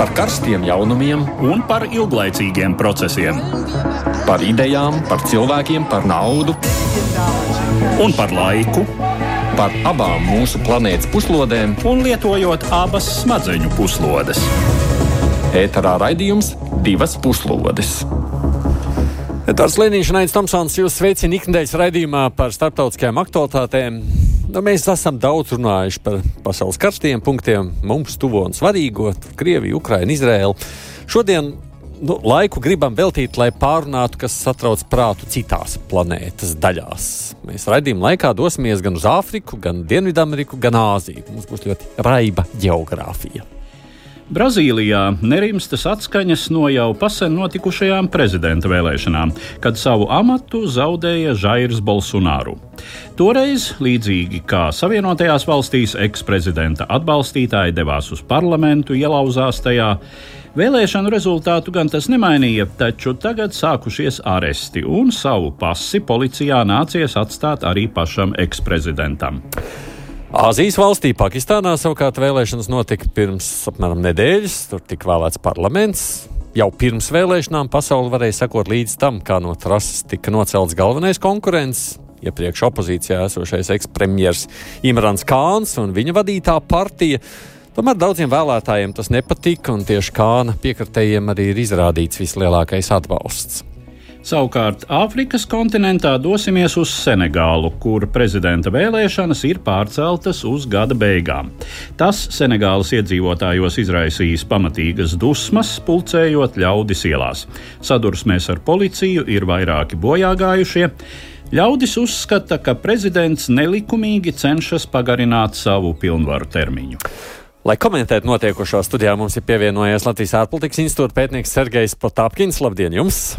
Par karstiem jaunumiem un par ilglaicīgiem procesiem. Par idejām, par cilvēkiem, par naudu Un par laiku, par abām mūsu planētas puslodēm. un lietojot abas smadzeņu puslodes. Ēterā raidījums Divas puslodes. Edvards Liniņš un Ains Tomsons jūs sveicina ikdienas raidījumā par starptautiskajām aktualitātēm. Mēs esam daudz runājuši par pasaules karstajiem punktiem, mums tuvo un svarīgo - Krieviju, Ukrainu, Izraēlu. Šodien laiku gribam veltīt, lai pārunātu, kas satrauc prātu citās planētas daļās. Mēs raidījuma laikā dosimies gan uz Āfriku, gan Dienvidameriku, gan Āziju. Mums būs ļoti raiba ģeogrāfija. Brazīlijā nerimstas atskaņas no jau pasen notikušajām prezidenta vēlēšanām, kad savu amatu zaudēja Jairs Bolsonaru. Toreiz, līdzīgi kā Savienotajās valstīs, eksprezidenta atbalstītāji devās uz parlamentu, ielauzās tajā. Vēlēšanu rezultātu gan tas nemainīja, taču tagad sākušies aresti, un savu pasi policijā nācies atstāt arī pašam eksprezidentam. Āzijas valstī Pakistānā savukārt vēlēšanas notika pirms apmēram nedēļas. Tur tika vēlēts parlaments. Jau pirms vēlēšanām pasaule varēja sekot līdz tam, kā no trases tika nocelts galvenais konkurents. Iepriekš opozīcijā esošais ekspremjers Imrans Kāns un viņa vadītā partija. Tomēr daudziem vēlētājiem tas nepatika, un tieši Kāna piekritējiem arī ir izrādīts vislielākais atbalsts. Savukārt Āfrikas kontinentā dosimies uz Senegālu, kur prezidenta vēlēšanas ir pārceltas uz gada beigām. Tas Senegālas iedzīvotājos izraisījis pamatīgas dusmas, pulcējot ļaudis ielās. Sadursmēs ar policiju ir vairāki bojāgājušie. Ļaudis uzskata, ka prezidents nelikumīgi cenšas pagarināt savu pilnvaru termiņu. Lai komentētu notiekušo, studijā mums ir pievienojies Latvijas ārpolitikas institūta pētnieks Sergejs Potāpkins. Labdien jums!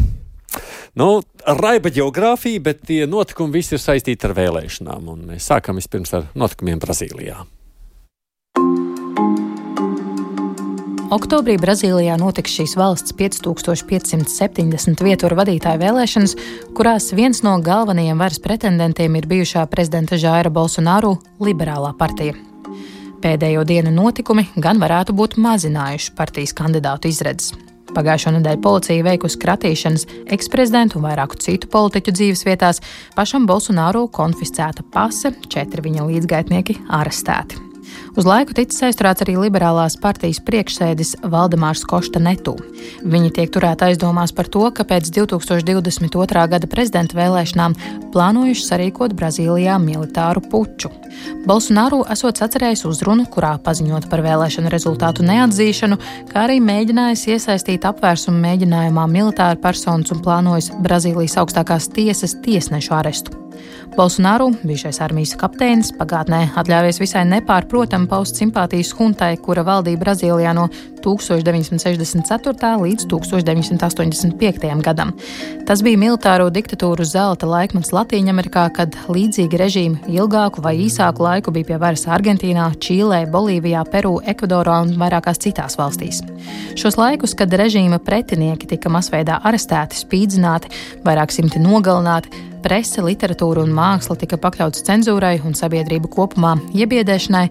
Raiba ģeogrāfija, bet tie notikumi visi ir saistīti ar vēlēšanām, un mēs sākam vispirms ar notikumiem Brazīlijā. Oktobrī Brazīlijā notiks šīs valsts 5570 vietvaru vadītāju vēlēšanas, kurās viens no galvenajiem varas pretendentiem ir bijušā prezidenta Jaira Bolsonaru liberālā partija. Pēdējo dienu notikumi gan varētu būt mazinājuši partijas kandidātu izredzes. Pagājušo nedēļu policija veikusi kratīšanas eksprezidentu un vairāku citu politiķu dzīves vietās, pašam Bolsonaru konfiscēta pase, 4 viņa līdzgaitnieki arestēti. Uz laiku ticis aizturēts arī liberālās partijas priekšsēdis Valdemārs Košta Netu. Viņi tiek turēti aizdomās par to, ka pēc 2022. gada prezidenta vēlēšanām plānojuši sarīkot Brazīlijā militāru puču. Bolsonaru esot sacerējis uzrunu, kurā paziņot par vēlēšanu rezultātu neatzīšanu, kā arī mēģinājis iesaistīt apvērsumu mēģinājumā militāru personas un plānojis Brazīlijas augstākās tiesas tiesnešu arestu. Bolsonaru, bijušais armijas kapteinis, pagātnē atļāvies visai nepārprotami paust simpātijas huntai, kura valdīja Brazīlijā no 1964. līdz 1985. gadam. Tas bija militāro diktatūru zelta laikmets Latīņamerikā, kad līdzīgi režīmi ilgāku vai īsāku laiku bija pie varas Argentīnā, Čīlē, Bolīvijā, Peru, Ekvadorā un vairākās citās valstīs. Šos laikus, kad režīma pretinieki tika masveidā arestēti, spīdzināti, vairāk simti nogalināti, prese, literatūra un māksla tika pakļauts cenzūrai un sabiedrība kopumā iebiedēšanai,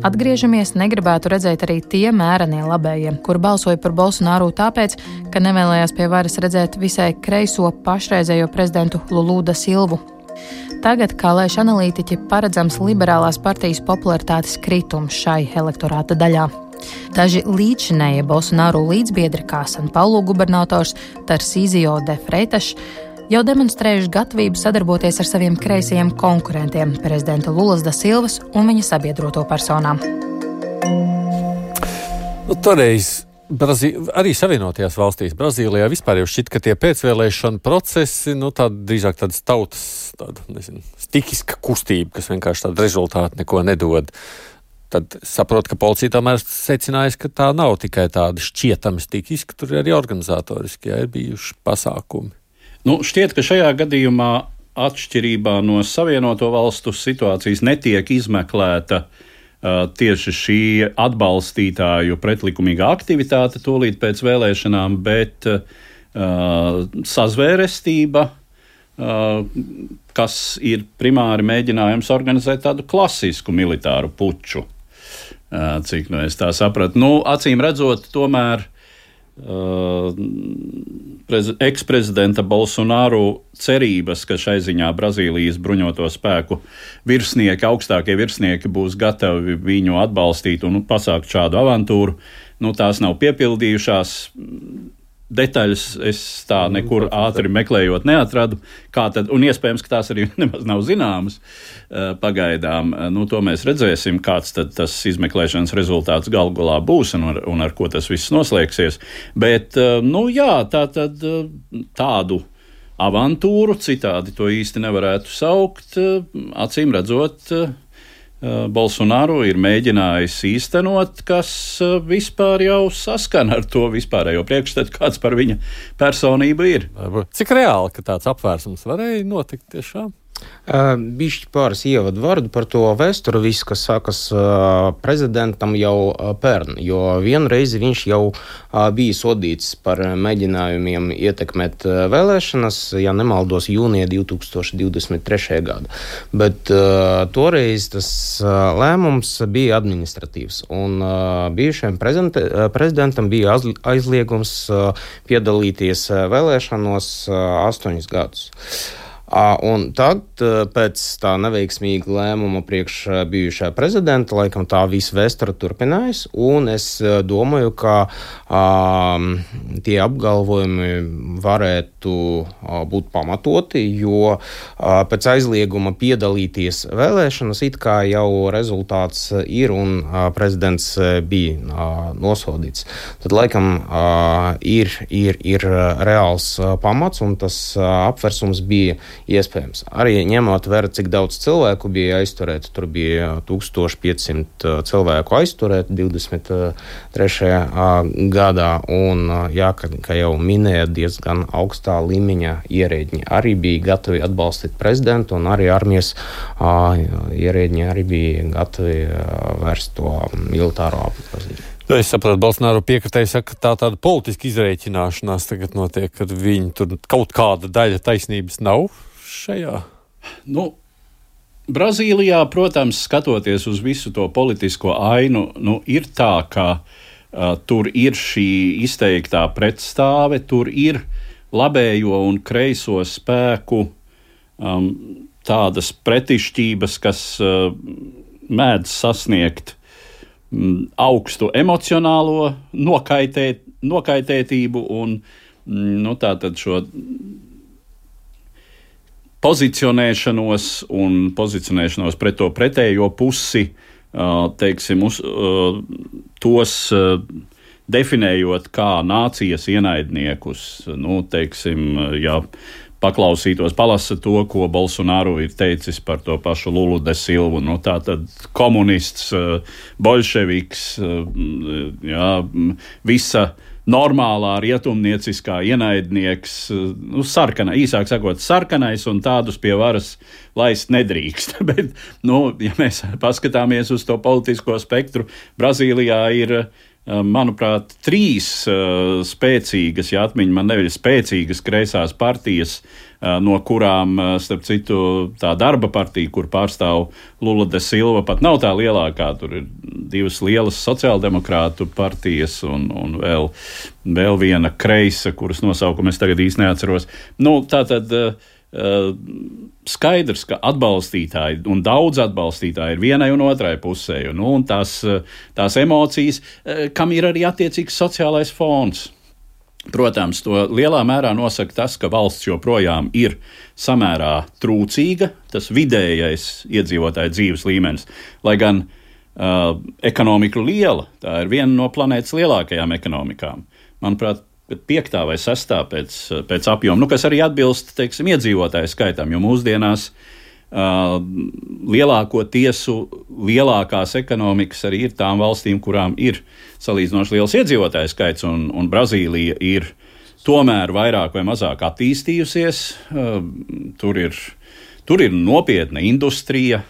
atgriežamies negribētu redzēt arī tie mērenie labējie, kur balsoja par Bolsonaru tāpēc, ka nevēlējās pie varas redzēt visai kreiso pašreizējo prezidentu Lulu da Silvu. Tagad, kā lēš analītiķi, paredzams liberālās partijas popularitātes kritums šai elektorāta daļā. Daži līdzinējie Bolsonaru līdzbiedri, kā San Paulo gubernators Tarsīzio de Freitas, jau demonstrējuši gatavību sadarboties ar saviem kreisajiem konkurentiem, prezidenta Lulas da Silvas un viņa sabiedroto personām. Toreiz arī Savienotajās valstīs, Brazīlijā vispār jau šķiet, ka tie pēcvēlēšana procesi, drīzāk tādas tautas, stihiska kustība, kas vienkārši tādu rezultātu neko nedod. Tad saprot, ka policija tomēr secinājas, ka tā nav tikai tāda šķietami stihiska, tur ir arī organizatoriski, ir bijuši pasākumi. Šķiet, ka šajā gadījumā atšķirībā no Savienoto valstu situācijas netiek izmeklēta tieši šī atbalstītāju pretlikumīgā aktivitāte tūlīt pēc vēlēšanām, bet sazvērestība, kas ir primāri mēģinājums organizēt tādu klasisku militāru puču. cik es tā sapratu. Acīm redzot, tomēr eksprezidenta Bolsonaru cerības, ka šai ziņā Brazīlijas bruņoto spēku virsnieki, augstākie virsnieki būs gatavi viņu atbalstīt un pasākt šādu avantūru, tās nav piepildījušās. Detaļas es tā nekur ātri meklējot neatradu, un iespējams, ka tās arī nemaz nav zināmas pagaidām. To mēs redzēsim, kāds tad tas izmeklēšanas rezultāts galu galā būs un ar ko tas viss noslēgsies. Bet, tādu avantūru, citādi to īsti nevarētu saukt, acīm redzot, Bolsonaru ir mēģinājis īstenot, kas vispār jau saskana ar to vispārējo priekšstatu, kāds par viņa personību ir. Cik reāli, ka tāds apvērsums varēja notikt tiešām? Bišķi pāris ievadu vārdu par to vēsturi, viss, kas sākas prezidentam jau pērn, jo vienreiz viņš jau bija sodīts par mēģinājumiem ietekmēt vēlēšanas, ja nemaldos, jūnija 2023. gada. Bet toreiz tas lēmums bija administratīvs, un bijušajam prezidentam bija aizliegums piedalīties vēlēšanos 8 gadus. Un tad, pēc tā neveiksmīga lēmuma priekš bijušā prezidenta, laikam tā visa vēsture turpinājās, un es domāju, ka tie apgalvojumi varētu būt pamatoti, jo pēc aizlieguma piedalīties vēlēšanas it kā jau rezultāts ir un prezidents bija nosodīts. Tad laikam ir reāls pamats, un tas apversums bija iespējams. Arī ņemot vērā, cik daudz cilvēku bija aizturēti, tur bija 1500 cilvēku aizturēti 23. gadā, un, kā jau minēja, diezgan augstā līmeņa ierēģi arī bija gatavi atbalstīt prezidentu, un arī armijas ierēģi arī bija gatavi vērst to militāro apgrozību. Es saprotu, Bolsonaru piekritēji saka, ka tāda politiska izreikināšanās tagad notiek, kad viņi tur kaut kāda daļa taisnības nav šajā? Brazīlijā, protams, skatoties uz visu to politisko ainu, ir tā, ka tur ir šī izteiktā pretstāve, tur ir labējo un kreiso spēku tādas pretišķības, kas mēdz sasniegt augstu emocionālo nokaitētību un tātad šo pozicionēšanos pret to pretējo pusi, teiksim, tos definējot kā nācijas ienaidniekus, teiksim, ja paklausītos, palasa to, ko Bolsonaru ir teicis par to pašu Lulu de Silvu. Tātad komunists, bolševiks, visa normālā rietumnieciskā ienaidnieks, īsāk sakot, sarkanais, un tādus pie varas laist nedrīkst. Bet, ja mēs paskatāmies uz to politisko spektru, Brazīlijā ir, manuprāt, 3 spēcīgas, ja atmiņa man neviļ, spēcīgas kreisās partijas, no kurām, starp citu, tā darba partija, kur pārstāv Lula de Silva, pat nav tā lielākā. Tur ir 2 lielas sociāldemokrātu partijas un vēl viena kreisa, kuras nosaukumu es tagad īsti neatceros. Tātad skaidrs, ka atbalstītāji un daudz atbalstītāji ir vienai un otrai pusē, un tās emocijas, kam ir arī attiecīgs sociālais fons. Protams, to lielā mērā nosaka tas, ka valsts joprojām ir samērā trūcīga, tas vidējais iedzīvotāju dzīves līmenis, lai gan ekonomika liela, tā ir viena no planētas lielākajām ekonomikām. Manuprāt, 5. vai 6. pēc apjoma, kas arī atbilst, teiksim, iedzīvotāju skaitam, jo mūsdienās lielāko tiesu, lielākās ekonomikas arī ir tām valstīm, kurām ir salīdzinoši liels iedzīvotāju skaits, un Brazīlija ir tomēr vairāk vai mazāk attīstījusies. Tur ir nopietna industrija,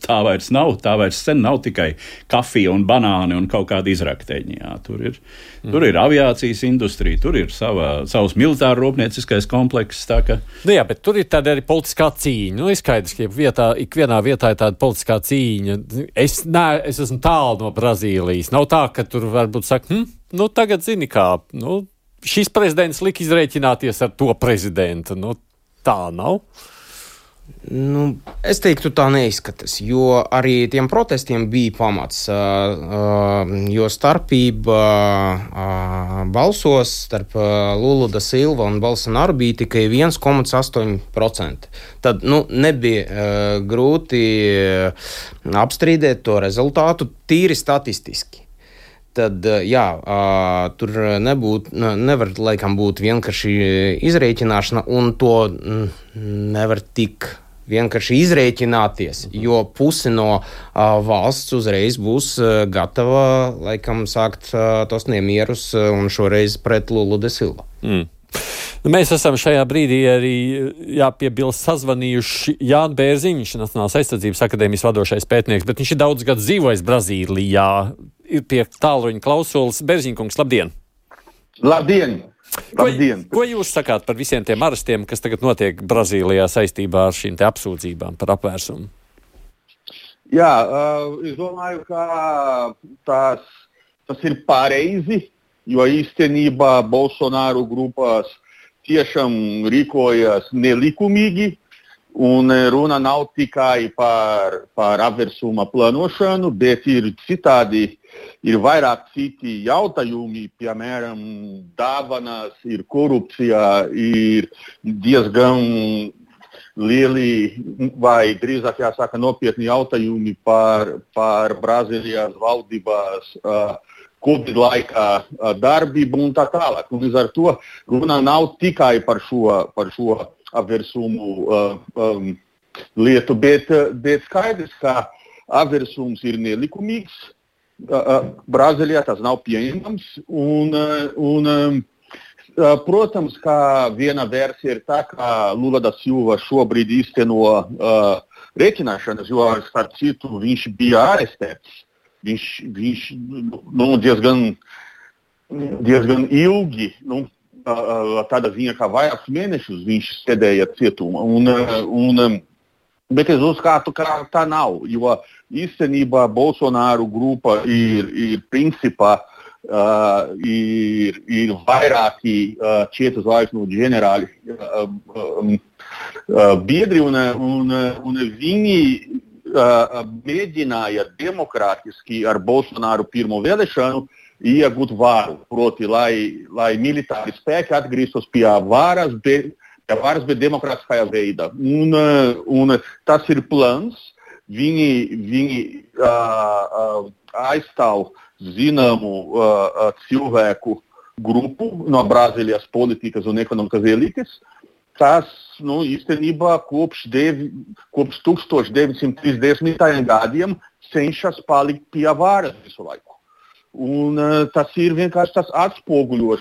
tā vairs nav, tā vairs sen nav tikai kafija un banāni un kaut kāda izrakteņi. Jā, tur ir aviācijas industrija, tur ir savs militāra rūpnieciskais komplekss. Jā, bet tur ir tāda arī politiskā cīņa. Ir skaidrs, ka ikvienā vietā ir tāda politiskā cīņa. Es esmu tālu no Brazīlijas. Nav tā, ka tur varbūt saka, tagad zini kā, šis prezidents lika izrēķināties ar to prezidentu. Tā nav. Es teiktu, tā neizskatās, jo arī tiem protestiem bija pamats, jo starpība balsos starp Lula da Silva un Bolsonaru bija tikai 1,8%. Tad nebija grūti apstrīdēt to rezultātu tīri statistiski. Tad, tur nevar laikam būt vienkārši izrēķināšana, un to nevar tik vienkārši izrēķināties, jo pusi no valsts uzreiz būs gatava, laikam, sākt tos nemierus, un šoreiz pret Lulu da Silva. Mēs esam šajā brīdī arī jāpiebilst sazvanījuši Jānu Bērziņu, viņš Nacionālās aizsardzības akadēmijas vadošais pētnieks, bet viņš ir daudz gadus dzīvojis Brazīlijā. Ir pie tālruņa klausulas. Bērziņkungs, labdien! Labdien! Ko jūs sakāt par visiem tiem arestiem, kas tagad notiek Brazīlijā saistībā ar šīm te apsūdzībām par apvērsumu? Jā, es domāju, ka tas ir pareizi, jo īstenībā Bolsonaru grupās tiešām rīkojas nelikumīgi, un runa nav tikai par apvērsuma plānošanu, bet ir citādi, ir vairāk citi jautājumi, piemēram, dāvanas, ir korupcija, ir diezgan lieli, vai drīzāk jāsaka nopietni jautājumi par Brazīlijas valdības Covid laikā darbību un tā tālāk. Un līdz ar to runa nav tikai par šo apvērsumu lietu, bet skaidrs, ka apvērsums ir nelikumīgs. Brazīlijā tas nav pieņemams. Protams, ka viena versija ir tā, ka Lula da Silva šobrīd īsteno rēķināšanas, jo starp citu viņš bija arestēts. Viņš diezgan ilgi, tādā ziņā kā vairākus mēnešus viņš sēdēja cietumā. Bet es uzskatu, ka tā nav, jo īstenībā Bolsonaru grupa ir principā ir vairāki 4 zvaigžņu ģenerāļi biedri, un viņi mēģināja demokrātiski ar Bolsonaru pirmo vēlēšanu iegūt varu, proti, lai militāri spēki atgrieztos pie varas, bet demokrātiskajā veidā. Un tas ir plāns. Viņi aizstāv zināmu cilvēku grupu no Brazīlijas politikas un ekonomikas elites, kas īstenībā kopš 1930. gadiem cenšas palikt pie varas visu laiku. Un tas ir vienkārši tas atspoguļo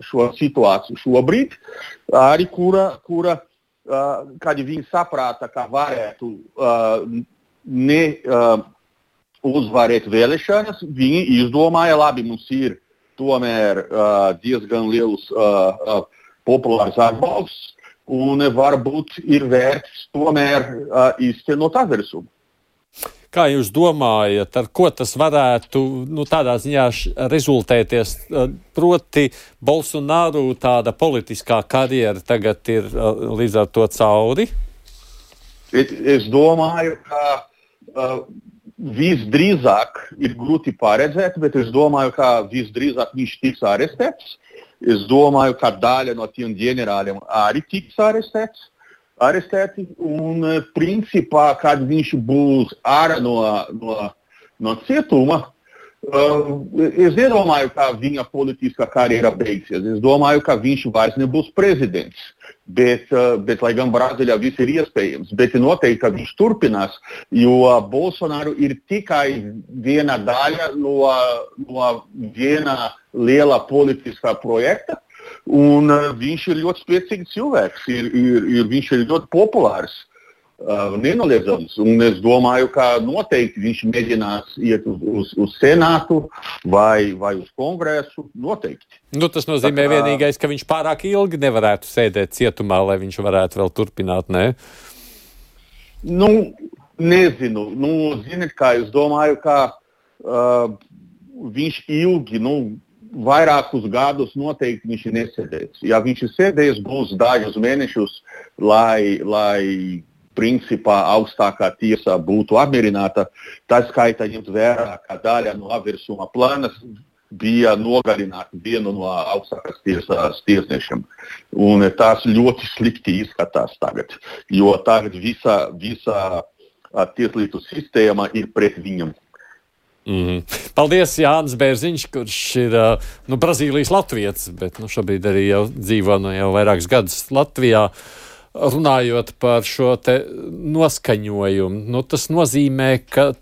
šo situāciju šobrīd, arī kura kad viņi saprāta, ka varētu uzvarēt vēlēšanas, viņi izdomāja, labi, mums ir tomēr diezgan liels populārs atbalsts, un varbūt ir vērts tomēr īstenot apvērsumu. Kā jūs domājat, ar ko tas varētu tādā ziņā rezultēties? Proti, Bolsonaru tāda politiskā karjera tagad ir līdz ar to cauri? Es domāju, ka visdrīzāk ir grūti paredzēt, bet es domāju, ka visdrīzāk viņš tiks arestēts. Es domāju, ka daļa no tiem ģenerāļiem arī tiks arestēti, un principā, kad viņš būs ārā no cietuma, es nedomāju, ka viņa politiskā karjera beigsies. Es domāju, ka viņš vairs nebūs prezidents, bet lai gan Brazīlijā viss ir iespējams, bet noteikti, ka viņš turpinās, jo Bolsonaru ir tikai viena daļa no viena liela politiskā projekta, un viņš ir ļoti spēcīgs cilvēks, viņš ir ļoti populārs. nenoliedzams. Un es domāju, ka noteikti viņš mēģinās iet uz senātu vai uz kongresu. Noteikti. Tas nozīmē vienīgais, ka viņš pārāk ilgi nevarētu sēdēt cietumā, lai viņš varētu vēl turpināt, ne? Nezinu. Ziniet, kā es domāju, ka viņš ilgi, vairākus gadus noteikti viņš nesēdēs. Ja viņš ir sēdējis, būs dažus mēnešus, lai principā augstākā tiesā būtu apmierināta. Tā skaitā ņemt vērā, ka daļa no apvērsuma plānas bija nogalināt vienu no augstākās tiesās tiesnešiem. Un tas ļoti slikti izskatās tagad, jo tagad visa tieslietu sistēma ir pret viņam. Paldies, Jānis Bērziņš, kurš ir Brazīlijas latvietis, bet šobrīd arī jau dzīvo jau vairākus gadus Latvijā. Runājot par šo te noskaņojumu, tas nozīmē, ka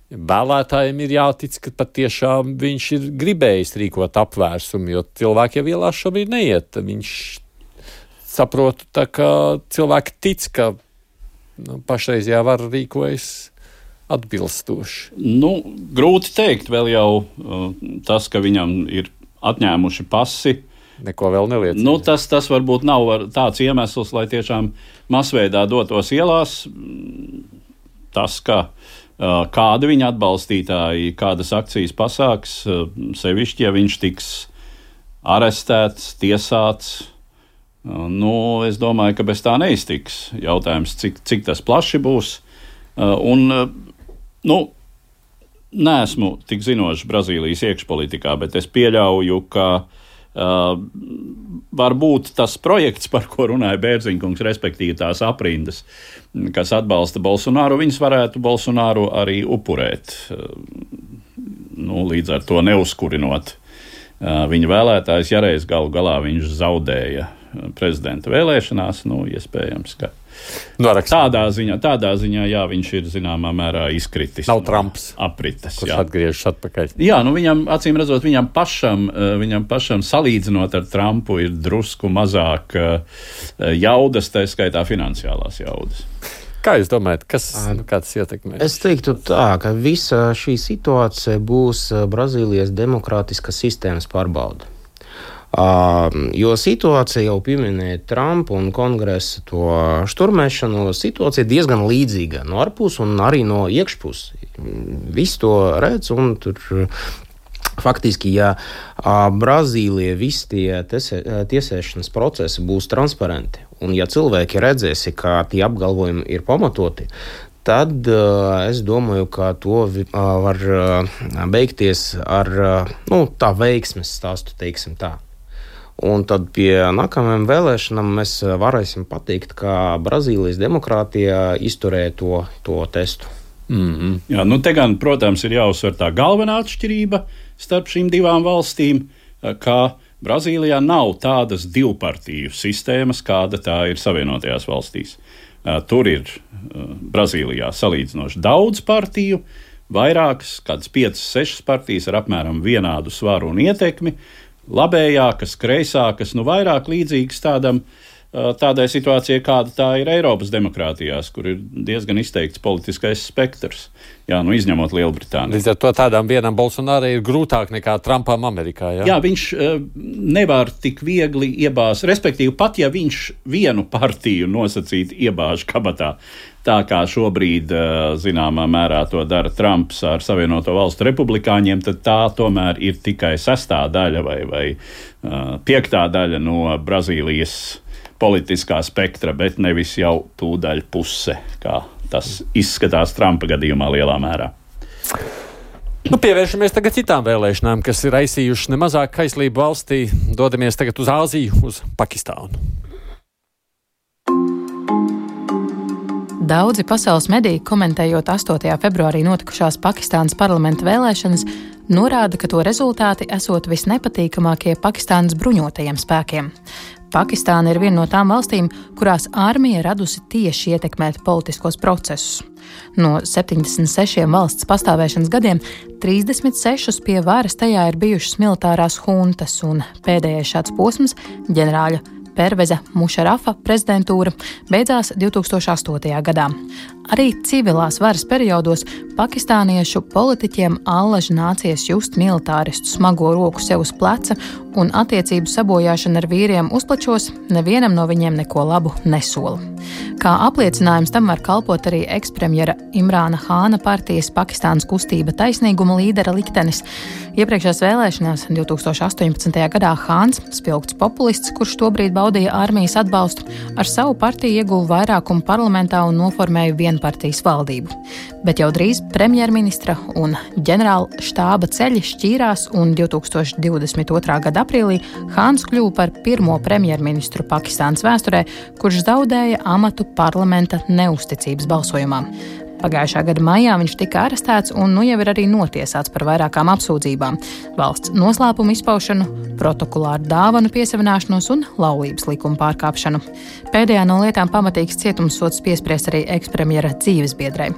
vēlētājiem ir jātic, ka patiešām viņš ir gribējis rīkot apvērsumu, jo cilvēki jau ielās šobrīd neiet. Viņš saprotu, ka cilvēki tic, ka pašreizajā vara rīkojas atbilstoši. Grūti teikt, vēl jau tas, ka viņam ir atņēmuši pasi, neko vēl neliecina. Tas varbūt nav tāds iemesls, lai tiešām masveidā dotos ielās. Tas, ka kādi viņa atbalstītāji, kādas akcijas pasāks, sevišķi, ja viņš tiks arestēts, tiesāts, es domāju, ka bez tā neiztiks. Jautājums, cik tas plaši būs. Neesmu tik zinošs Brazīlijas iekšpolitikā, bet es pieļauju, ka varbūt tas projekts, par ko runāja Bērziņkungs, respektīvi tās aprindas, kas atbalsta Bolsonaru, viņas varētu Bolsonaru arī upurēt, līdz ar to neuzkurinot viņa vēlētājs, ja reiz galu galā viņš zaudēja prezidenta vēlēšanās, iespējams, ka tādā ziņā, jā, viņš ir zināmā mērā izkritis. Nav Trumps, aprites, kurš atgriežas atpakaļ. Jā, viņam, acīm redzot, viņam pašam salīdzinot ar Trumpu ir drusku mazāk jaudas, tā skaitā finansiālās jaudas. Kā jūs domājat, kā tas ietekmēs? Es teiktu tā, ka visa šī situācija būs Brazīlijas demokrātiskas sistēmas pārbauda. Jo situācija jau pieminēja Trumpu un kongresa to šturmēšanu. Situācija ir diezgan līdzīga no ārpus un arī no iekšpus. Visi to redz un tur faktiski, ja Brazīlija visi tie tiesēšanas procesi būs transparenti un ja cilvēki redzēsi, ka tie apgalvojumi ir pamatoti, tad es domāju, ka to var beigties ar tā veiksmes stāstu, teiksim tā. Un tad pie nākamajām vēlēšanām mēs varēsim pateikt, ka Brazīlijas demokrātija izturēja to testu. Jā, te gan, protams, ir jāuzsver tā galvenā atšķirība starp šīm divām valstīm, ka Brazīlijā nav tādas divpartiju sistēmas, kāda tā ir Savienotajās valstīs. Tur ir Brazīlijā salīdzinoši daudz partiju, vairākas, kādas 5-6 partijas ar apmēram vienādu svaru un ietekmi, labējākas, kreisākas, vairāk līdzīgas tādai situācijai, kāda tā ir Eiropas demokrātijās, kur ir diezgan izteikts politiskais spektrs, izņemot Lielbritāniju. Līdz ar to tādām vienam Bolsonaro ir grūtāk nekā Trumpam Amerikā, jā? Jā, viņš nevar tik viegli iebāzt, respektīvi pat, ja viņš vienu partiju nosacīt iebāž kabatā, tā kā šobrīd, zināmā mērā, to dara Trumps ar Savienoto Valstu republikāņiem, tad tā tomēr ir tikai 6. daļa vai 5. daļa no Brazīlijas politiskā spektra, bet nevis jau tūdaļ puse, kā tas izskatās Trumpa gadījumā lielā mērā. Pievēršamies tagad citām vēlēšanām, kas ir raisījušas nemazāk kaislību valstī. Dodamies tagad uz Āziju, uz Pakistānu. Daudzi pasaules mediji, komentējot 8. februārī notikušās Pakistānas parlamenta vēlēšanas, norāda, ka to rezultāti esot visnepatīkamākie Pakistānas bruņotajiem spēkiem. Pakistāna ir viena no tām valstīm, kurās armija radusi tieši ietekmēt politiskos procesus. No 76 valsts pastāvēšanas gadiem 36 pie varas tajā ir bijušas militārās huntas, un pēdējais šāds posms ģenerāļa Perveza Mušarafa prezidentūra beidzās 2008. gadā. Arī civilās varas periodos pakistāniešu politiķiem allaž nācies just militāristu smago roku sev uz pleca, un attiecību sabojāšana ar vīriem uzplačos nevienam no viņiem neko labu nesola. Kā apliecinājums tam var kalpot arī ekspremjera Imrāna Hāna partijas Pakistānas kustība taisnīguma līdera liktenis. Iepriekšējās vēlēšanās 2018. gadā Hāns, spilgts populists, kurš tobrīd baudīja armijas atbalstu, ar savu partiju ieguva vairākumu parlamentā un noformēja vienpartijas valdību. Bet jau drīz premjerministra un ģenerāla štāba ceļi šķīrās, un 2022. gada aprīlī Hāns kļuva par pirmo premjerministru Pakistānas vēsturē, kurš zaudēja amatu parlamenta neusticības balsojumā. Pagājušā gada maijā viņš tika arestēts un nu jau ir arī notiesāts par vairākām apsūdzībām - valsts noslēpumu izpaušanu, protokolāru dāvanu piesavināšanos un laulības likuma pārkāpšanu. Pēdējā no lietām pamatīgs cietumssods piespriests arī ekspremjera dzīvesbiedrei.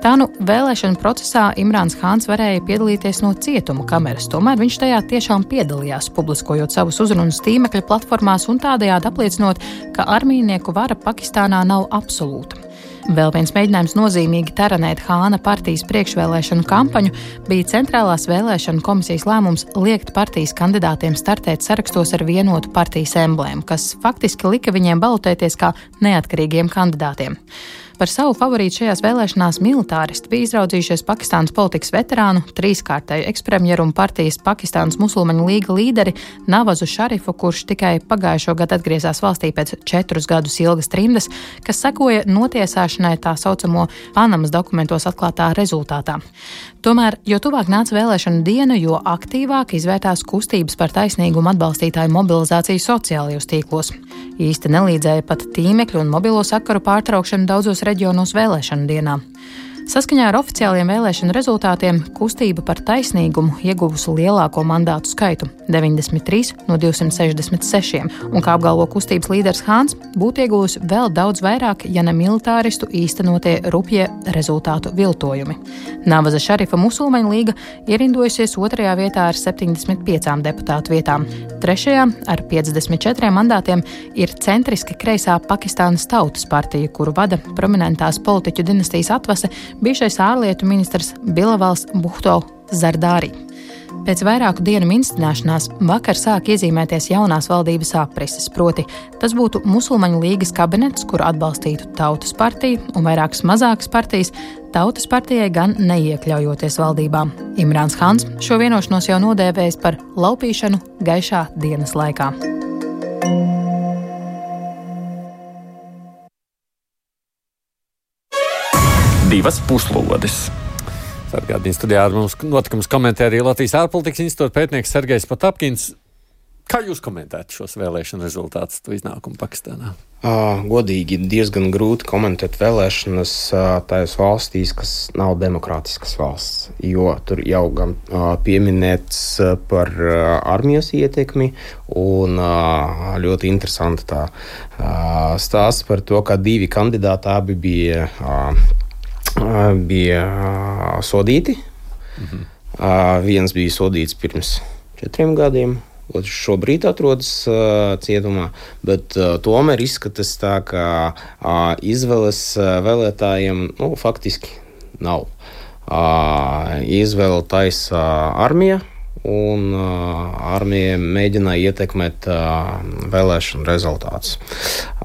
Tā nu vēlēšanu procesā Imrāns Hāns varēja piedalīties no cietuma kameras, tomēr viņš tajā tiešām piedalījās, publiskojot savus uzrunas tīmekļa platformās un tādējādi apliecinot, ka armijnieku vara Pakistānā nav absolūta. Vēl viens mēģinājums nozīmīgi taranēt Hāna partijas priekšvēlēšanu kampaņu bija Centrālās vēlēšanu komisijas lēmums liekt partijas kandidātiem startēt sarakstos ar vienotu partijas emblēmu, kas faktiski lika viņiem balotēties kā neatkarīgiem kandidātiem. Par savu favorītu šajās vēlēšanās militāristi bija izraudzījušies Pakistānas politikas veterānu, trīskārtēju ekspremjeru un partijas Pakistānas musulmaņu līga līderi Navazu Šarifu, kurš tikai pagājušo gadu atgriezās valstī pēc 4 gadus ilgas trimdas, kas sekoja notiesāšanai tā saucamo Panamas dokumentos atklātā rezultātā. Tomēr, jo tuvāk nāca vēlēšanu diena, jo aktīvāk izvērtās kustības par taisnīgumu atbalstītāju mobilizāciju sociālajos tīklos. Īsti nelīdzēja pat tīmekļu un mobilo sakaru pārtraukšanu daudzos reģionos vēlēšanu dienā. Saskaņā ar oficiāliem vēlēšanu rezultātiem kustība par taisnīgumu ieguvusi lielāko mandātu skaitu - 93 no 266, un, kā apgalvo kustības līderis Hāns, būtu ieguvusi vēl daudz vairāk, ja ne militāristu īstenotie rupjie rezultātu viltojumi. Navaza Šarifa musulmaņu līga ierindojusies 2. vietā ar 75 deputātu vietām. 3. ar 54 mandātiem ir centriski kreisā Pakistānas Tautas partija, kuru vada prominentās politiķu dinastijas atvase bijušais ārlietu ministrs Bilavals Bhutto Zardari. Pēc vairāku dienu minstināšanās vakar sāk iezīmēties jaunās valdības aprises, proti tas būtu musulmaņu līgas kabinets, kuru atbalstītu Tautas partiju un vairākas mazākas partijas, Tautas partijai gan neiekļaujoties valdībā. Imrāns Hāns šo vienošanos jau nodēvējis par laupīšanu gaišā dienas laikā. Divas puslodes. Sargādījums studijā ar mums notikums komentē arī Latvijas ārpolitikas institūta pētnieks Sergejs Potapkins. Kā jūs komentētu šos vēlēšanu rezultātus, to iznākumu Pakistānā? Godīgi diezgan grūti komentēt vēlēšanas tajās valstīs, kas nav demokrātiskas valsts, jo tur jau gan pieminēts par armijas ietekmi un ļoti interesanti tā stāsts par to, ka 2 kandidāti abi bija sodīti. Viens bija sodīts pirms 4 gadiem, otrs šobrīd atrodas cietumā, bet tomēr izskatās tā, ka izvēles vēlētājiem faktiski nav. Izvēle taisa armija, un armija mēģināja ietekmēt vēlēšanu rezultātus.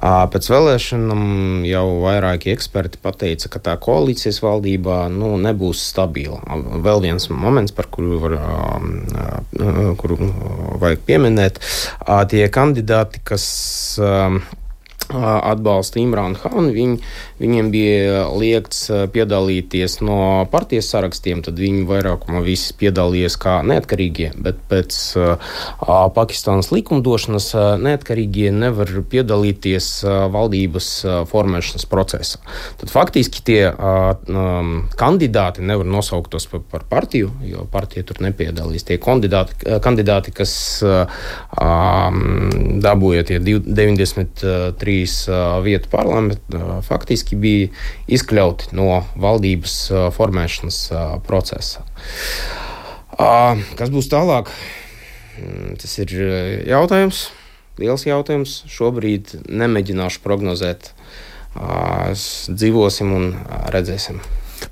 Pēc vēlēšanām jau vairāki eksperti pateica, ka tā koalīcijas valdībā nebūs stabila. Vēl viens moments, par kuru vajag pieminēt, tie kandidāti, kas atbalsta Imrānu Hānu, viņiem bija liegts piedalīties no partijas sarakstiem, tad viņi vairākumā visi piedalījās kā neatkarīgie, bet pēc Pakistānas likumdošanas neatkarīgie nevar piedalīties valdības formēšanas procesā. Tad faktiski tie kandidāti nevar nosaukt par partiju, jo partija tur nepiedalīs. Tie kandidāti, kas dabūja tie 93 vietu parlamentu, faktiski bija izkļauti no valdības formēšanas procesa. Kas būs tālāk? Tas ir jautājums. liels jautājums. Šobrīd nemēģināšu prognozēt. Dzīvosim un redzēsim.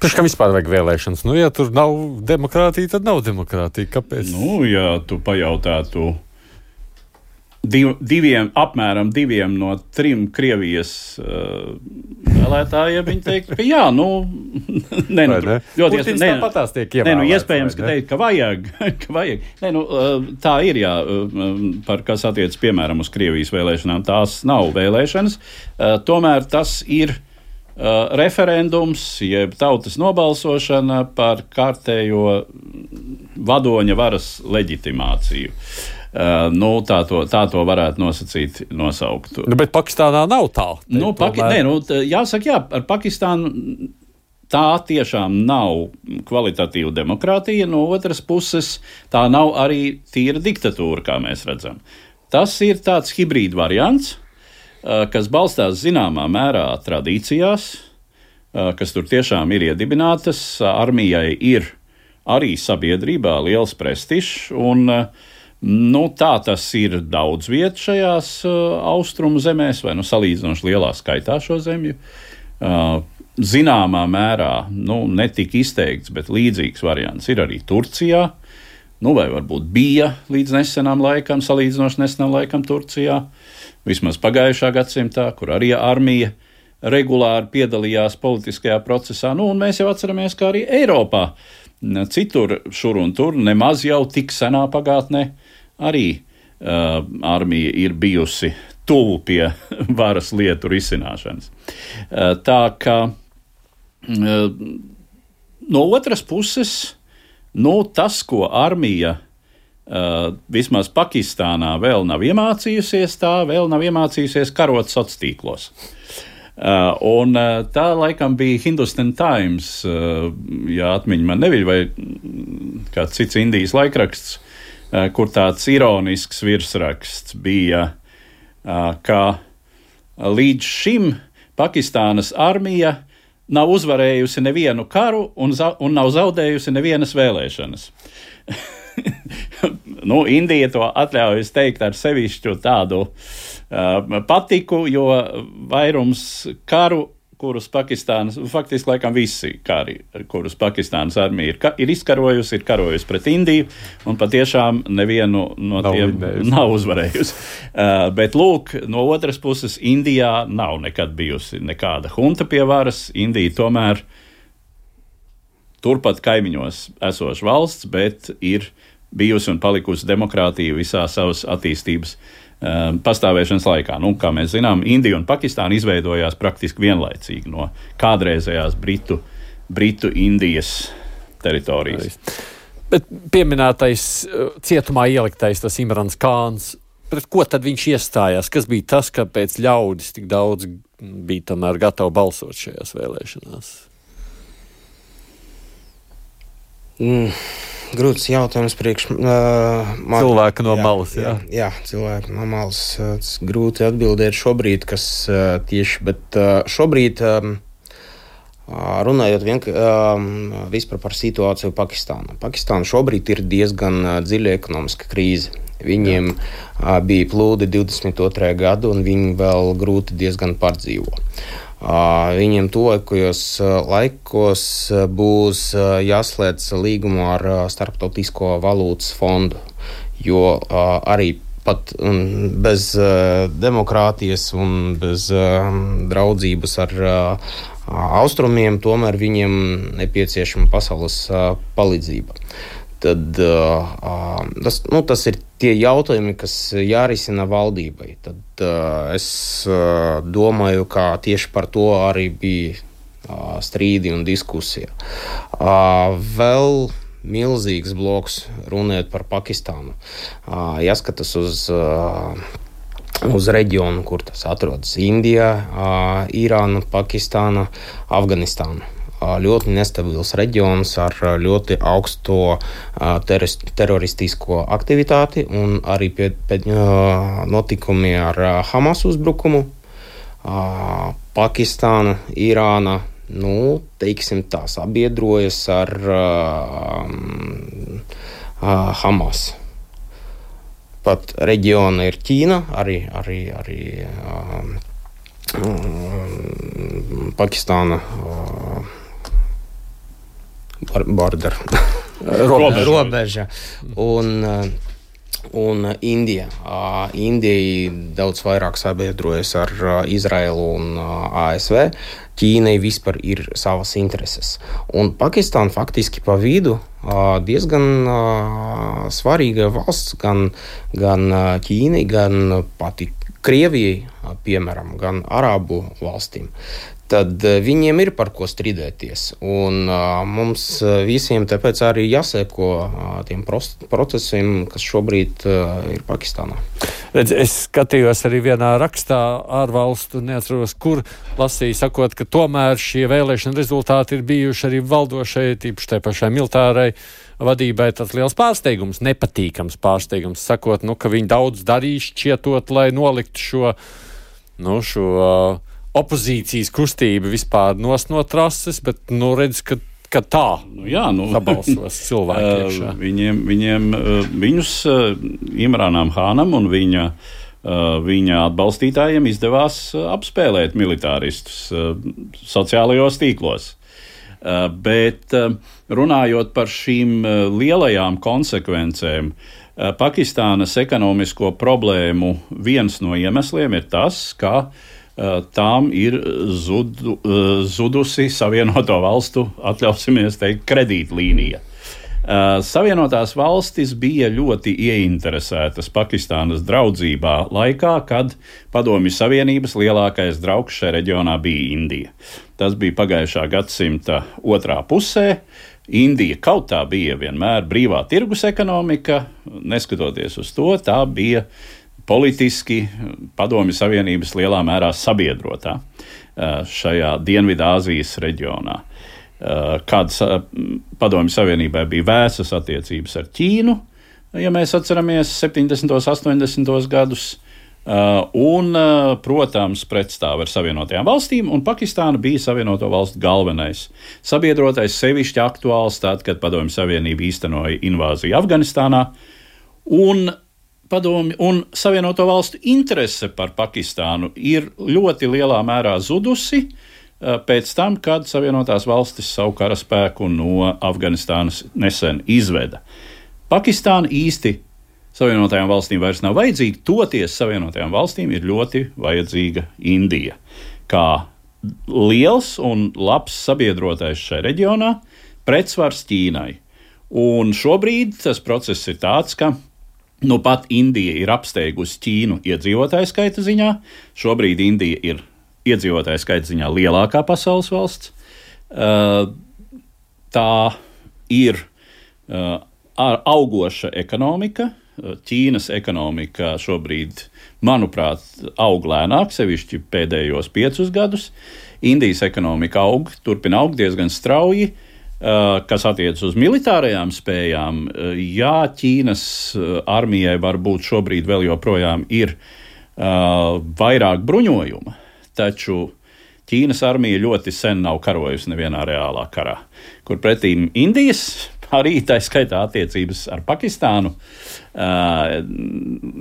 Kā vispār vajag vēlēšanas? Ja tur nav demokrātija, tad nav demokrātija. Kāpēc? Ja tu pajautātu apmēram 2 no 3 Krievijas vēlētājiem, viņi teikt, ka jā, ļoti iespējams, ka teikt, ka vajag. Tā ir, jā, par kas attiec, piemēram, uz Krievijas vēlēšanām. Tās nav vēlēšanas, tomēr tas ir referendums, jeb tautas nobalsošana par kārtējo vadoņa varas leģitimāciju. Tā to varētu nosaukt. Bet Pakistānā nav tā. Jāsaka, jā, ar Pakistānu tā tiešām nav kvalitatīva demokrātija, no otras puses tā nav arī tīra diktatūra, kā mēs redzam. Tas ir tāds hibrīd variants, kas balstās zināmā mērā tradīcijās, kas tur tiešām ir iedibinātas. Armijai ir arī sabiedrībā liels prestižs, un tā tas ir daudz viet šajās austrumu zemēs, vai salīdzinoši lielā skaitā šo zemju. Zināmā mērā, netik izteikts, bet līdzīgs variants ir arī Turcijā, vai varbūt bija līdz nesenam laikam, salīdzinoši nesenam laikam Turcijā. Vismaz pagājušā gadsimtā, kur arī armija regulāri piedalījās politiskajā procesā. Un mēs jau atceramies, ka arī Eiropā citur šur un tur, nemaz jau tik senā pagātnē, arī armija ir bijusi tuvu pie varas lietu risināšanas. Tā ka no otras puses, tas, ko armija vismaz Pakistānā vēl nav iemācījusies, tā vēl nav iemācījusies karot sociālos tīklos. Un tā laikam bija Hindustan Times, ja atmiņa man neviļ, vai kāds cits Indijas laikraksts, kur tāds ironisks virsraksts bija, ka līdz šim Pakistānas armija nav uzvarējusi nevienu karu un nav zaudējusi nevienas vēlēšanas. Indija to atļaujas teikt ar sevišķu tādu patiku, jo vairums karu, kurus Pakistānas, faktiski laikam visi kari, kurus Pakistānas armija ir izkarojusi, ir karojusi pret Indiju, un patiešām nevienu no tiem nav uzvarējusi. Bet lūk, no otras puses, Indijā nav nekad bijusi nekāda hunta pie varas. Indija tomēr turpat kaimiņos esoša valsts, bet ir bijusi un palikusi demokrātija visā savas attīstības pastāvēšanas laikā. Kā mēs zinām, Indija un Pakistāna izveidojās praktiski vienlaicīgi no kādreizējās Britu-Indijas teritorijas. Bet pieminētais cietumā ieliktais tas Imrans Kāns, pret ko tad viņš iestājās? Kas bija tas, kāpēc ļaudis tik daudz bija tomēr gatavi balsot šajās vēlēšanās? Grūts jautājums cilvēka no malas. Jā, cilvēka no malas. Grūti atbildēt šobrīd, kas tieši, bet šobrīd runājot vispār par situāciju Pakistānā. Pakistāna šobrīd ir diezgan dziļa ekonomiska krīze. Viņiem bija plūdi 22. gadu, un viņi vēl grūti diezgan pārdzīvo. Viņiem tuvākajos laikos būs jāslēdz līgumu ar Starptautisko valūtas fondu, jo arī pat bez demokrātijas un bez draudzības ar austrumiem tomēr viņiem nepieciešama pasaules palīdzība. Tad tas ir tie jautājumi, kas jārisina valdībai. Tad es domāju, ka tieši par to arī bija strīdi un diskusija. Vēl milzīgs bloks runājot par Pakistānu. Jāskatās uz reģionu, kur tas atrodas: Indija, Irāna, Pakistāna, Afganistāna. Ļoti nestabils reģions ar ļoti augsto teroristisko aktivitāti un arī pēc notikumi ar Hamas uzbrukumu. Pakistāna, Irāna, teiksim tā, sabiedrojas ar Hamas. pat reģiona ir Ķīna, arī Pakistāna border. Robeža. Un Indija. Indija daudz vairāk sabiedrojas ar Izraelu un ASV. Ķīnai vispār ir savas intereses. Un Pakistāna faktiski pa vidu diezgan svarīga valsts gan Ķīnai, gan pati Krievijai, piemēram, gan Arābu valstīm. Tad viņiem ir par ko strīdēties. Un mums visiem tāpēc arī jāseko tiem procesiem, kas šobrīd ir Pakistānā. Redz, es skatījos arī vienā rakstā ārvalstu, neatceros, kur lasīju, sakot, ka tomēr šie vēlēšana rezultāti ir bijuši arī valdošai, tīpaši tai pašai militārai vadībai tāds liels pārsteigums, nepatīkams pārsteigums, sakot, ka viņi daudz darīs šķietot, lai noliktu šo opozīcijas kustība vispār no trases, bet redz, ka tā sabalsos cilvēki. Viņus Imrānam Hānam un viņa atbalstītājiem izdevās apspēlēt militāristus sociālajos tīklos. Bet runājot par šīm lielajām konsekvencēm, Pakistānas ekonomisko problēmu viens no iemesliem ir tas, ka tām ir zudusi Savienoto valstu, atļausimies teikt, kredītlīnija. Savienotās valstis bija ļoti ieinteresētas Pakistānas draudzībā laikā, kad Padomju Savienības lielākais draugs šajā reģionā bija Indija. Tas bija pagājušā gadsimta otrā pusē. Indija kaut tā bija vienmēr brīvā tirgus ekonomika, neskatoties uz to, tā bija politiski Padomju Savienības lielā mērā sabiedrotā šajā Dienvidāzijas reģionā. Kad Padomju Savienībai bija vēsas attiecības ar Ķīnu, ja mēs atceramies 70. 80. gadus, un, protams, pretstāv ar Savienotajām valstīm, un Pakistāna bija Savienoto valstu galvenais sabiedrotais, sevišķi aktuāls tad, kad Padomju Savienība īstenoja invāziju Afganistānā, un Savienoto valstu interese par Pakistānu ir ļoti lielā mērā zudusi pēc tam, kad Savienotās valstis savu karaspēku no Afganistānas nesen izveda. Pakistāna īsti Savienotajām valstīm vairs nav vajadzīga, toties Savienotajām valstīm ir ļoti vajadzīga Indija. Kā liels un labs sabiedrotais šajā reģionā, pretsvars Ķīnai. Un šobrīd tas process ir tāds, ka pat Indija ir apsteigusi Ķīnu iedzīvotāju skaita ziņā. Šobrīd Indija ir iedzīvotāju skaita ziņā lielākā pasaules valsts. Tā ir augoša ekonomika. Ķīnas ekonomika šobrīd, manuprāt, aug lēnāk, sevišķi pēdējos 5 gadus. Indijas ekonomika turpina augt diezgan strauji. Kas attiecas uz militārajām spējām, Ķīnas armijai varbūt šobrīd vēl joprojām ir vairāk bruņojuma, taču Ķīnas armija ļoti sen nav karojusi nevienā reālā karā, kur pretīm Indijas, arī tā skaitā attiecības ar Pakistānu,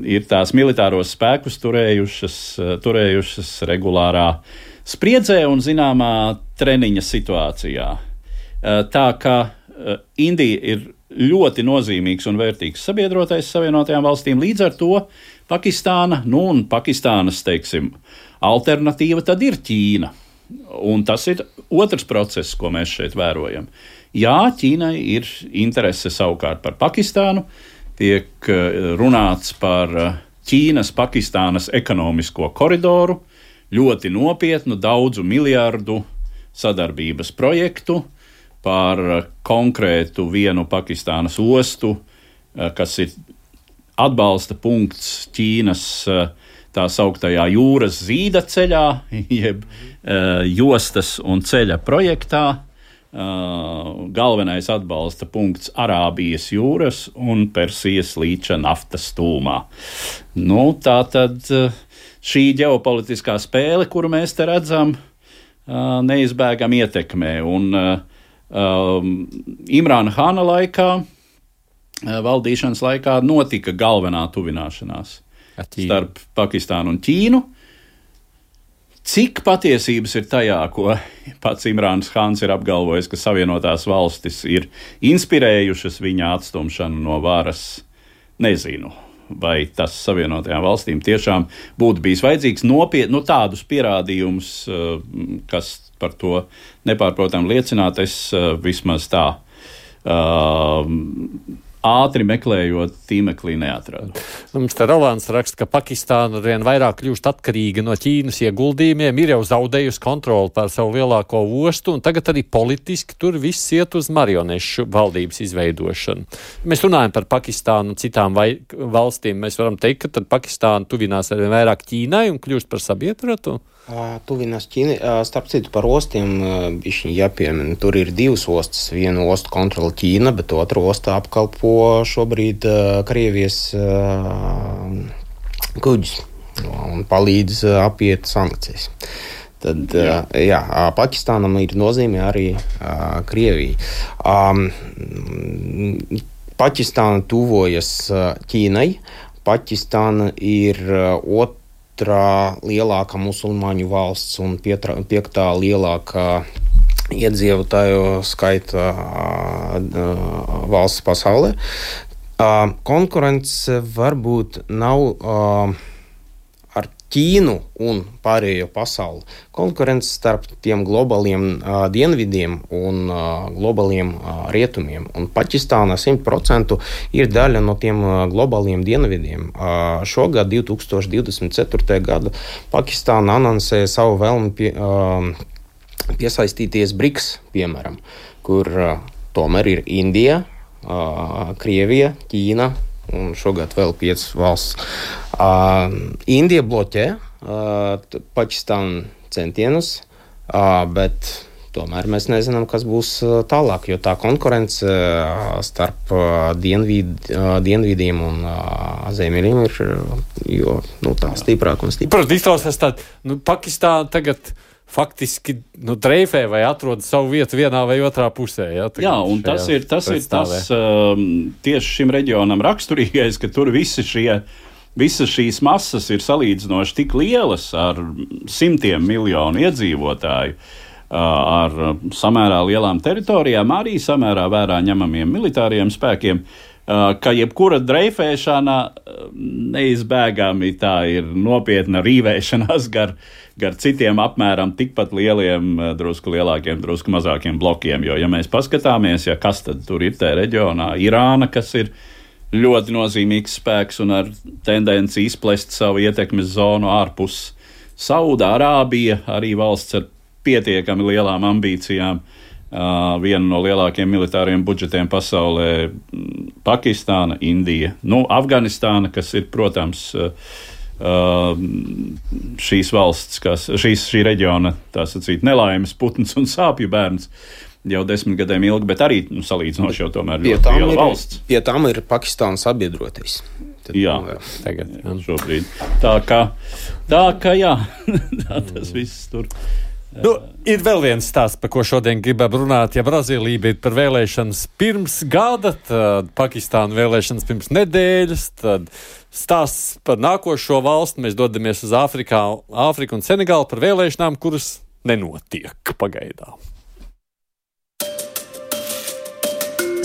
ir tās militāros spēkus turējušas regulārā spriedzē un zināmā treniņa situācijā. Tā kā Indija ir ļoti nozīmīgs un vērtīgs sabiedrotais Savienotajām valstīm, līdz ar to Pakistāna, un Pakistānas, teiksim, alternatīva tad ir Ķīna. Un tas ir otrs process, ko mēs šeit vērojam. Jā, Ķīnai ir interese savukārt par Pakistānu, tiek runāts par Ķīnas-Pakistānas ekonomisko koridoru, ļoti nopietnu, daudzu miljardu sadarbības projektu, par konkrētu vienu Pakistānas ostu, kas ir atbalsta punkts Ķīnas tā sauktajā jūras zīda ceļā, jeb jostas un ceļa projektā. Galvenais atbalsta punkts Arābijas jūras un Persijas līča naftas tūmā. Tā tad šī ģeopolitiskā spēle, kuru mēs te redzam, neizbēgam ietekmē. Un Imrāna Hāna laikā valdīšanas laikā notika galvenā tuvināšanās starp Pakistānu un Ķīnu. Cik patiesības ir tajā, ko pats Imrāns Hāns ir apgalvojis, ka Savienotās valstis ir inspirējušas viņa atstumšanu no varas, nezinu. Vai tas Savienotajām valstīm tiešām būtu bijis vajadzīgs tādus pierādījumus, kas par to nepārprotam liecināt, es vismaz tā ātri meklējot tīmeklī neatradu. Mums te Rolands raksta, ka Pakistāna arvien vairāk kļūst atkarīga no Ķīnas ieguldījumiem, ir jau zaudējusi kontroli pār savu lielāko ostu, un tagad arī politiski tur viss iet uz marionešu valdības izveidošanu. Mēs runājam par Pakistānu un citām valstīm. Mēs varam teikt, ka tad Pakistāna tuvinās arvien vairāk Ķīnai un kļūst par sabiedrotu? Tuvinās Ķīna. Starp citu par ostiem bišķiņ jāpiemina. Tur ir divas ostas. Vienu ostu kontrola Ķīna, bet otru ostu apkalpo šobrīd Krievijas kuģis un palīdz apiet sankcijas. Tad, Pakistānam ir nozīme arī Krievija. Pakistāna tuvojas Ķīnai. Pakistāna ir otrā lielākā musulmaņu valsts un piektā lielākā iedzīvotāju skaita valsts pasaulē. Konkurence varbūt nav ar Ķīnu un pārējo pasauli. Konkurence starp tiem globāliem dienvidiem un globāliem rietumiem. Un Pakistāna 100% ir daļa no tiem globāliem dienvidiem. Šogad, 2024. gadu, Pakistāna anoncēja savu vēlmi piesaistīties BRICS, piemēram, kur tomēr ir Indija, Krievija, Ķīna un šogad vēl 5 valsts. Indija bloķē Pakistānu centienus, bet tomēr mēs nezinām, kas būs tālāk, jo tā konkurence starp dienvidiem un ziemeļiem ir tā stiprāka un stiprāka. Protams, izklausās tād, Pakistāna tagad faktiski dreifē vai atrod savu vietu vienā vai otrā pusē. Jā, un tas ir tas tieši šim reģionam raksturīgais, ka tur visas šīs masas ir salīdzinoši tik lielas ar simtiem miljonu iedzīvotāju, ar samērā lielām teritorijām, arī samērā vērā ņemamiem militāriem spēkiem, ka jebkura dreifēšana neizbēgami tā ir nopietna rīvēšanās gar citiem apmēram tikpat lieliem, drusku lielākiem, drusku mazākiem blokiem. Jo, ja mēs paskatāmies, kas tad tur ir tajā reģionā, Irāna, kas ir ļoti nozīmīgs spēks un ar tendenci izplest savu ietekmes zonu ārpus, Saudārābija, arī valsts ar pietiekami lielām ambīcijām, viena no lielākiem militāriem budžetiem pasaulē, Pakistāna, Indija, Afganistāna, kas ir, protams, šīs valsts, šī reģiona, tā sacīt, nelaimes putns un sāpju bērns jau 10 gadiem ilgi, bet arī salīdzinoši jau tomēr ļoti liela valsts. Pie tām ir Pakistāna sabiedrotais. Jā, tagad, šobrīd. Tā kā jā, tas viss tur. Ir vēl viens stāsts, par ko šodien gribam runāt. Ja Brazīlija bija par vēlēšanas pirms gada, tad Pakistāna vēlēšanas pirms nedēļas, tad stāsts par nākošo valstu. Mēs dodamies uz Āfriku un Senegālu par vēlēšanām, kuras nenotiek pagaidām.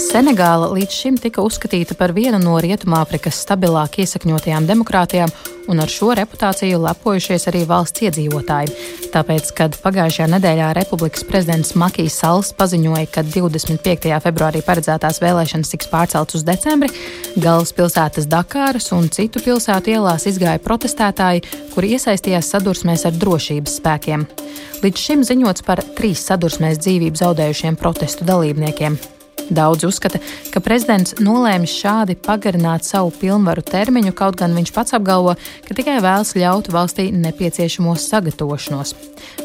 Senegāla līdz šim tika uzskatīta par vienu no Rietumāfrikas stabilāk iesakņotajām demokrātijām, un ar šo reputāciju lepojušies arī valsts iedzīvotāji. Tāpēc, kad pagājušajā nedēļā Republikas prezidents Makijs Salls paziņoja, ka 25. februārī paredzētās vēlēšanas tiks pārceltas uz decembri, galvaspilsētas Dakāras un citu pilsētu ielās izgāja protestētāji, kuri iesaistījās sadursmēs ar drošības spēkiem. Līdz šim ziņots par 3 sadursmēs dzīvību zaudējušiem protestu dalībniekiem. Daudzi uzskata, ka prezidents nolēmis šādi pagarināt savu pilnvaru termiņu, kaut gan viņš pats apgalvo, ka tikai vēlas ļaut valstī nepieciešamo sagatavošanos.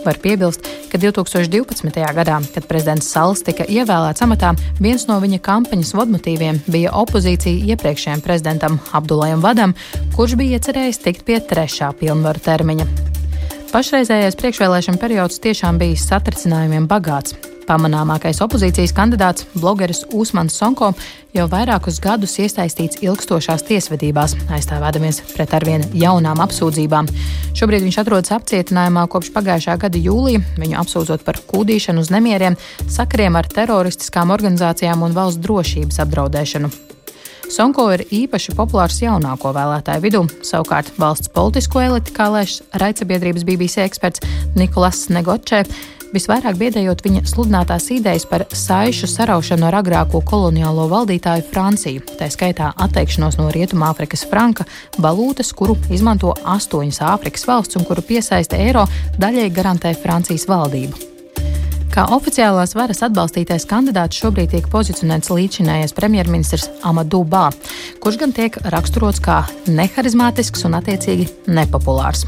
Var piebilst, ka 2012. gadā, kad prezidents Salls tika ievēlēts amatā, viens no viņa kampaņas vadmotīviem bija opozīcija iepriekšējiem prezidentam Abdulajam Vadam, kurš bija iecerējis tikt pie 3. pilnvaru termiņa. Pašreizējais priekšvēlēšana periods tiešām bijis satricinājumiem bagāts. Pamanāmākais opozīcijas kandidāts, blogeris Usmans Sonko, jau vairākus gadus iesaistīts ilgstošās tiesvedībās, aizstāvēdamies pret arvien jaunām apsūdzībām. Šobrīd viņš atrodas apcietinājumā kopš pagājušā gada jūlija, viņu apsūdzot par kūdīšanu uz nemieriem, sakariem ar teroristiskām organizācijām un valsts drošības apdraudēšanu. Sonko ir īpaši populārs jaunāko vēlētāju vidū, savukārt valsts politisko eliti, kā lēš raidsabiedrības BBC eksperts Nikolas Negočē, visvairāk biedējot viņa sludinātās idejas par saišu saraušanu ar agrāko koloniālo valdītāju Franciju, tā skaitā atteikšanos no Rietumāfrikas franka, valūtas, kuru izmanto 8 Āfrikas valsts un kuru piesaista eiro, daļai garantē Francijas valdību. Kā oficiālās varas atbalstītais kandidāts šobrīd tiek pozicionēts līdzinājais premjerministrs Amadou Ba, kurš gan tiek raksturots kā neharizmātisks un attiecīgi nepopulārs.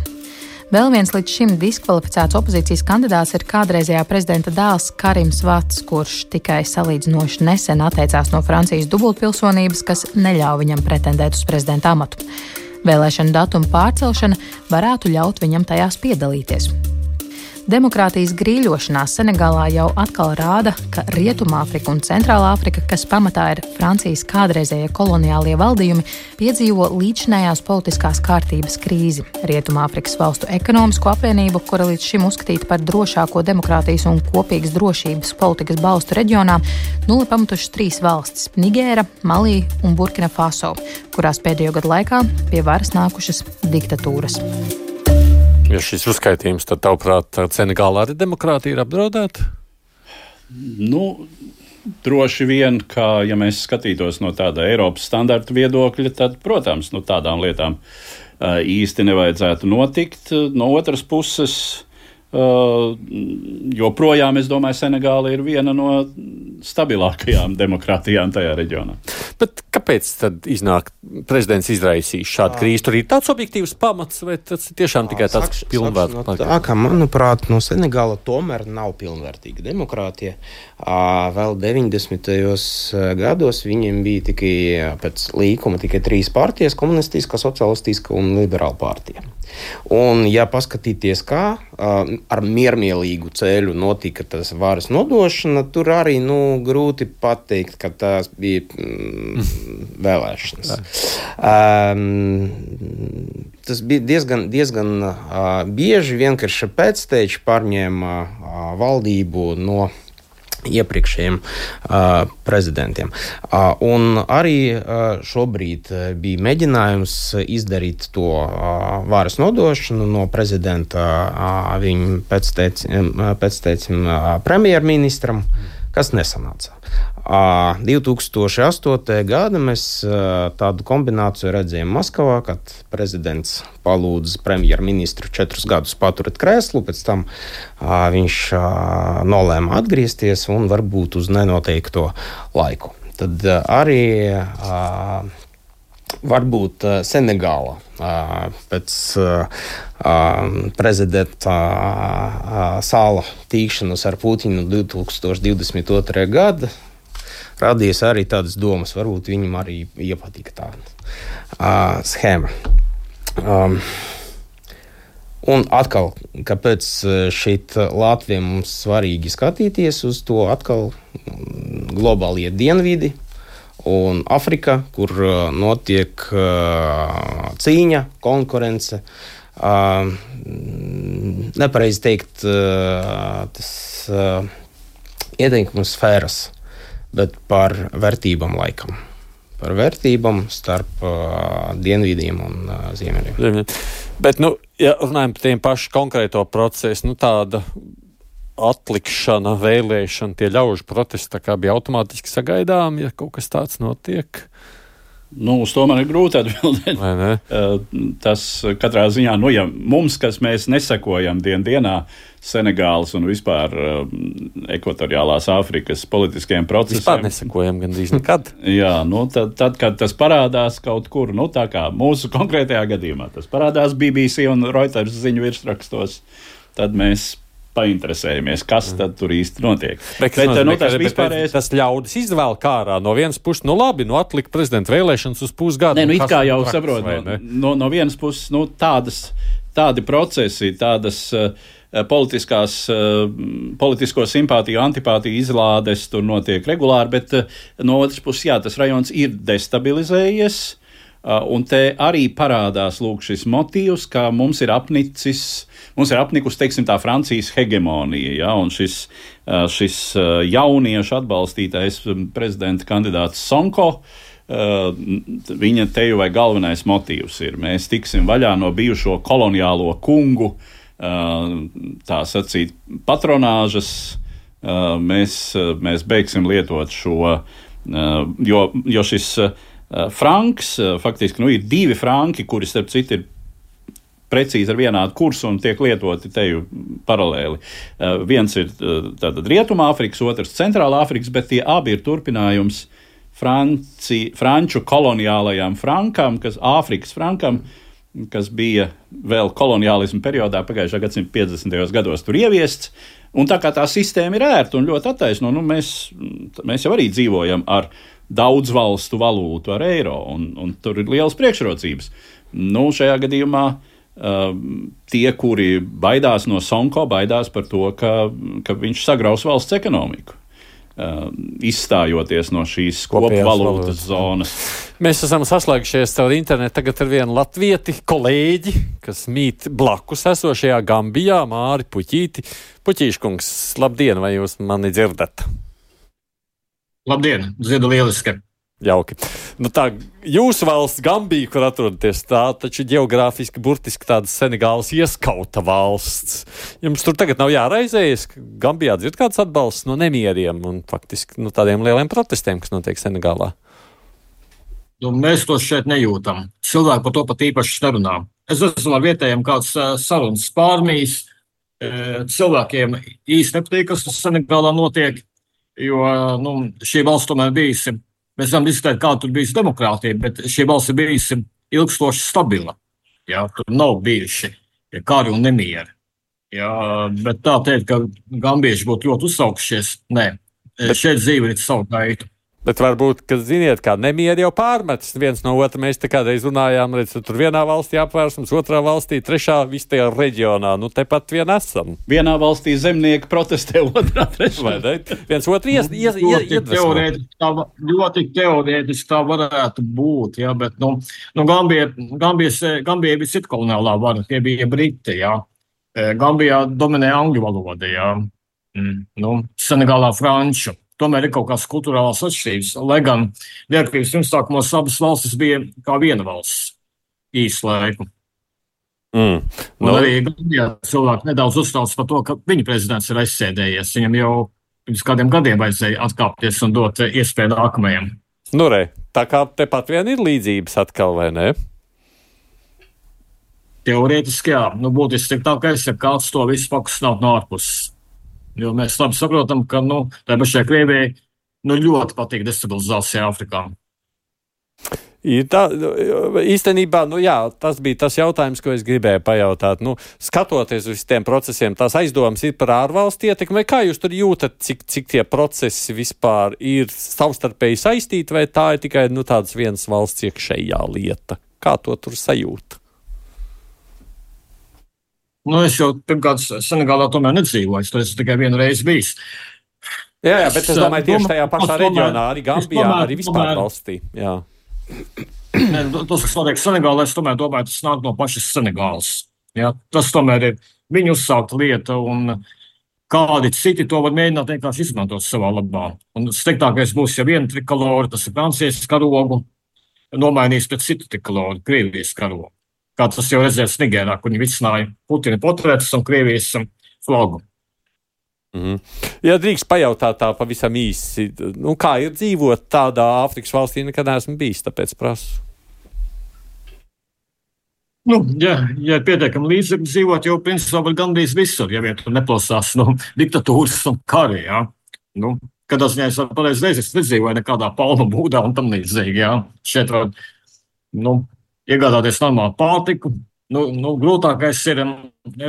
Vēl viens līdz šim diskvalificēts opozīcijas kandidāts ir kādreizējā prezidenta dēls Karims Vats, kurš tikai salīdzinoši nesen atteicās no Francijas dubultpilsonības, kas neļauj viņam pretendēt uz prezidenta amatu. Vēlēšanu datuma pārcelšana varētu ļaut viņam tajās piedalīties. Demokrātijas grīļošanās Senegālā jau atkal rāda, ka Rietumāfrika un Centrālā Afrika, kas pamatā ir Francijas kādreizējie koloniālie valdījumi, piedzīvo līdzinājās politiskās kārtības krīzi. Rietumāfrikas valstu ekonomisko apvienību, kura līdz šim uzskatīta par drošāko demokrātijas un kopīgas drošības politikas balstu reģionā, nulli pamatušas 3 valstis – Nigēra, Malī un Burkina Faso, kurās pēdējo gadu laikā pie varas nākušas diktatūras. Ja šis uzskaitījums, tad, tavuprāt, Senegālā arī demokrātija ir apdraudēta? Droši vien, ka, ja mēs skatītos no tāda Eiropas standarta viedokļa, tad, protams, tādām lietām īsti nevajadzētu notikt. No otras puses, joprojām, es domāju, Senegāla ir viena no stabilākajām demokrātijām tajā reģionā. Bet kāpēc tad iznāk prezidents izraisīs šādu krīzi? Tur ir tāds objektīvs pamats, vai tas tiešām tikai tāds pilnvērtīgs? Tā kā, manuprāt, Senegāla tomēr nav pilnvērtīga demokrātija. Vēl 90. gados viņiem bija tikai pēc līkuma tikai 3 partijas - komunistiskā, socialistiskā un liberāla partija. Un, ja paskatīties, kā ar miermīlīgu ceļu notika tas varas nodošana, tur arī grūti pateikt, ka tās bija vēlēšanas. Tas bija diezgan bieži vienkārši pēcteči pārņēma valdību no iepriekšējiem prezidentiem. Un arī šobrīd bija mēģinājums izdarīt to varas nodošanu no prezidenta viņu pēctecim premjerministram, kas nesanāca. 2008. gada mēs tādu kombināciju redzējām Maskavā, kad prezidents palūdza premjerministru 4 gadus paturēt krēslu, pēc tam viņš nolēma atgriezties un varbūt uz nenoteikto laiku. Tad arī varbūt Senegāla pēc prezidenta Sāla tīkšanas ar Putinu 2022. gada radies arī tādas domas, varbūt viņam arī iepatika tāda schēma. Un atkal, kāpēc šeit Latvijā mums svarīgi skatīties uz to atkal globālie dienvidi un Afrika, kur notiek cīņa, konkurence, nepareizi teikt, tas ieteikuma sfēras, bet par vērtībām laikam. Par vērtībām starp dienvidiem un ziemeļiem. Bet, ja runājam par tiem pašu konkrēto procesu, tāda atlikšana, vēlēšana, tie ļaužu protesti, tā kā bija automātiski sagaidām, ja kaut kas tāds notiek? Uz to man ir grūti atbildēt. Tas katrā ziņā, ja mums, kas mēs nesekojam dienā Senegālas un vispār ekvatoriālās Āfrikas politiskiem procesiem. Vispār nesekojam gandrīz nekad. Jā, tad, kad tas parādās kaut kur, tā kā mūsu konkrētajā gadījumā, tas parādās BBC un Reuters ziņu virsrakstos, tad mēs painteresējamies, kas tad tur īsti notiek. Tas ļaudis izvēl kārā no vienas puses, labi, atlikt prezidenta vēlēšanas uz pusgadu. It kā jau saprot, no vienas puses, tādi procesi, tādas politisko simpātiju, antipātiju izlādes tur notiek regulāri, bet no otras puses, jā, tas rajons ir destabilizējies, un te arī parādās lūk šis motīvs, ka mums ir apnikusi, teiksim, tā Francijas hegemonija, ja, un šis jauniešu atbalstītais prezidenta kandidāts Sonko, viņa teju vai galvenais motīvs ir, mēs tiksim vaļā no bijušo koloniālo kungu, tā sacīt, patronāžas, mēs beigsim lietot šo, jo šis franks, faktiski, ir 2 franki, kuri, starp citu, ir precīzi ar vienādu kursu un tiek lietoti teju paralēli. Viens ir tātad Rietumāfrikas, otrs Centrālā Afrikas, bet tie abi ir turpinājums franču koloniālajām frankam, Āfrikas frankam, kas bija vēl koloniālismu periodā pagājušā gadsimta 50. gados tur ieviests. Un tā kā tā sistēma ir ērta un ļoti attaisno, mēs jau arī dzīvojam ar daudz valstu valūtu, ar eiro, un tur ir lielas priekšrocības. Šajā gadījumā tie, kuri baidās no Sonko, baidās par to, ka viņš sagraus valsts ekonomiku, izstājoties no šīs kopvalūtas zonas. Mēs esam saslēgušies caur internetu tagad ar vienu latvieti, kolēģi, kas mīt blakus esošajā Gambijā, Māri Puķīti. Puķīškungs, labdien, vai jūs mani dzirdat? Labdien, dzirdu lieliski. Jauki. Tā jūsu valsts Gambija, kur atrodaties, tā taču ģeogrāfiski burtiski tāda Senegālas ieskauta valsts. Jums tur tagad nav jāraizējas, ka Gambijā dzird kāds atbalsts no nemieriem un faktiski tādiem lieliem protestiem, kas notiek Senegālā? Mēs to šeit nejūtam. Cilvēki par to pat īpaši nerunā. Es esmu ar vietējiem kāds sarunas pārmīs. Cilvēkiem īsti nepatīk, kas Senegālā notiek, jo šī valsts tomēr bijusi, mēs varam diskutēt, kā tur bijusi demokrātija, bet šī valsts ir bijusi ilgstoši stabila. Jā, tur nav bijuši kari un nemieri. Jā, bet tā teikt, ka gambieši būtu ļoti uzsaukšies, nē, šeit dzīve ir savu gaitu. Bet varbūt, ka ziniet, kā nemieri jau pārmetas viens no otra. Mēs te kādreiz runājām, redz, tur vienā valstī apvērsums, otrā valstī, trešā, viss tajā reģionā. Tepat vien esam. Vienā valstī zemnieki protestē, otrā trešā. Vai ne? Viens otru iedvesmo. Ļoti teorētiski tā varētu būt, jā, bet, Gambija bija cita koloniālā vara, tie bija Briti, jā. Gambijā dominē angļu valoda, jā. Senegālā franču. Tomēr ir kaut kādas kulturālās atšķirības, lai gan neatkarības pirmsākumos abas valstis bija kā viena valsts īsu laiku. Arī Gambijā cilvēki nedaudz uztrauc par to, ka viņa prezidents ir aizsēdējies. Viņam jau pirms kādiem gadiem vajadzēja atkāpties un dot iespēju nākamajam. Tā kā tepat vien ir līdzības atkal, vai ne? Teorētiski jā. Būtiski ir tā, ka kāds to visu pakustināt no ārpuses. Jo mēs labi saprotam, ka tā pašai Krievijai ļoti patīk destabilizācija Āfrikā. Īstenībā, tas bija tas jautājums, ko es gribēju pajautāt. Skatoties uz tiem procesiem, tās aizdomas ir par ārvalstu ietekmi, vai kā jūs tur jūtat, cik tie procesi vispār ir savstarpēji saistīti, vai tā ir tikai tādas vienas valsts iekšējā lieta? Kā to tur sajūt? Es jau pirmkārt Senegālā tomēr nedzīvoju, tur esmu tikai vienu reizi bijis. Jā, bet es domāju tieši tajā pašā reģionā, arī Gambijā, arī vispār valstī. Jā. Tas, kas notiek Senegālā, es tomēr domāju, tas nāk no pašas Senegālas. Jā, tas tomēr ir viņu uzsākta lieta, un kādi citi to var mēģināt vienkārši izmantot savā labā. Un sliktākais būs, ja viena trikolora, tas ir Francijas karogu, nomainīs pret citu trikoloru, Krievijas karogu. Kā tas jau redzēs Nigērā, kur viņi vicināja Putina portretus un Krievijas flagu. Ja drīkst pajautāt tā pavisam īsi, kā ir dzīvot tādā Āfrikas valstī, nekad neesmu bijis, tāpēc prasu. Ja pietiekami līdzekļi dzīvot, jau principā var gandrīz visur, ja vien tur neplosās diktatūras un kari, jā. Kādā ziņā es pareiz reizes nedzīvoju nekādā palmu būdā un tam līdzīgi, jā. Šeit var, iegādāties normālu pārtiku. Grūtākais ir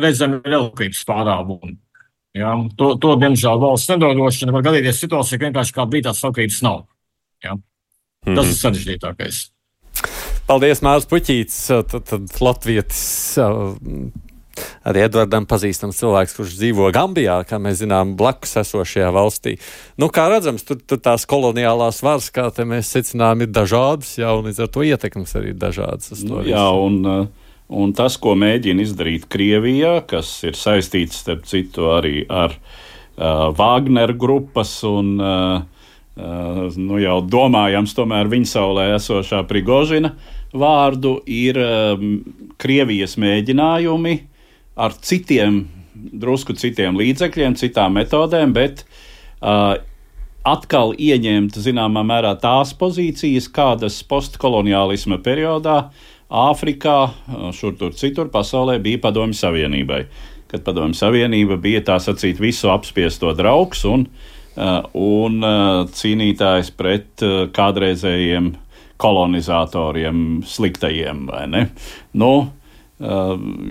redzami elektrības pārāvumi. Ja? To diemžēl valsts nedodrošina. Var gadīties situācija, ka vienkārši kāda brīdī tās elektrības nav. Ja? Tas ir sarežģītākais. Paldies, Māris Puķītis, tad latvietis arī Edvardam pazīstams cilvēks, kurš dzīvo Gambijā, kā mēs zinām, blakus esošajā valstī. Nu, kā redzams, tur tās koloniālās varas, kā te mēs secinām, ir dažādas, jā, un līdz ar to ietekmes arī ir dažādas. Jā, un tas, ko mēģina izdarīt Krievijā, kas ir saistīts, starp citu, arī ar Wagner grupas un jau domājams tomēr viņa saulē esošā Prigožina vārdu, ir Krievijas mēģinājumi ar drusku citiem līdzekļiem, citām metodēm, bet atkal ieņemt zināmā mērā tās pozīcijas, kādas postkoloniālisma periodā Āfrikā, šur tur citur pasaulē bija Padomju Savienībai. Kad Padomju Savienība bija tā sacīt visu apspiesto draugs un cīnītājs pret kādreizējiem kolonizatoriem sliktajiem, vai ne?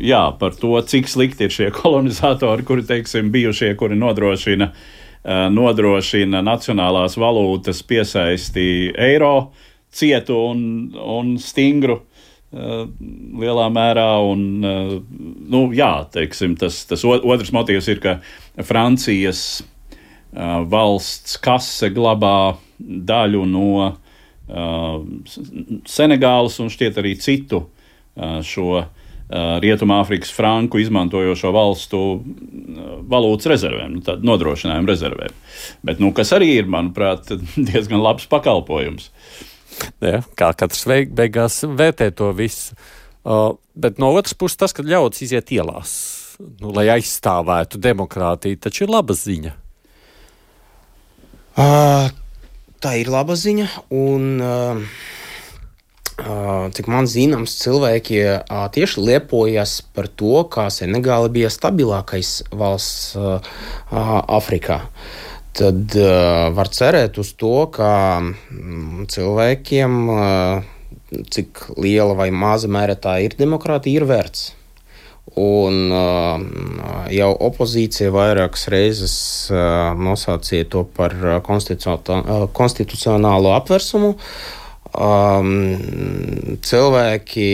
Jā, par to, cik slikti ir šie kolonizatori, kuri, teiksim, bijušie, kuri nodrošina nacionālās valūtas piesaisti eiro, cietu un stingru lielā mērā, un jā, teiksim, tas otrs motīvs ir, ka Francijas valsts kase glabā daļu no Senegālas un šķiet arī citu šo Rietumāfrikas franku izmantojošo valstu valūtas rezervēm, tādu nodrošinājumu rezervēm. Bet, kas arī ir, manuprāt, diezgan labs pakalpojums. Jā, kā katrs beigās vērtē to visu. Bet no otras puses tas, ka ļauts iziet ielās, lai aizstāvētu demokrātiju, taču ir laba ziņa. Tā ir laba ziņa, un cik man zināms, cilvēki tieši lepojas par to, kā Senegāla bija stabilākais valsts Afrikā. Tad var cerēt uz to, ka cilvēkiem, cik liela vai maza mērā tā ir demokrātija, ir vērts. Un jau opozīcija vairākas reizes nosaucīja to par konstitucionālo apvērsumu. Cilvēki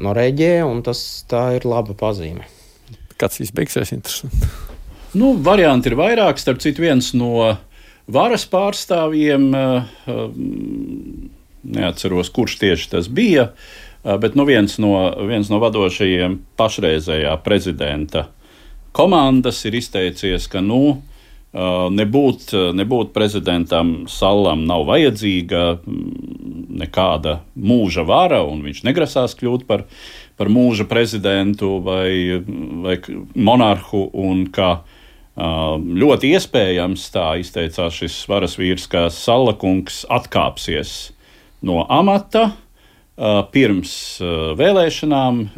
noreģē, un tā ir laba pazīme. Kāds viss beigsies interesanti? Varianti ir vairāk, starp citu viens no varas pārstāvjiem, neatceros, kurš tieši tas bija, bet viens no vadošajiem pašreizējā prezidenta komandas ir izteicies, ka nebūt prezidentam Sallam nav vajadzīga nekāda mūža vara, un viņš negrasās kļūt par mūža prezidentu vai monarhu, un ka ļoti iespējams, tā izteicās šis varas vīrs, ka Salla kungs atkāpsies no amata pirms vēlēšanām,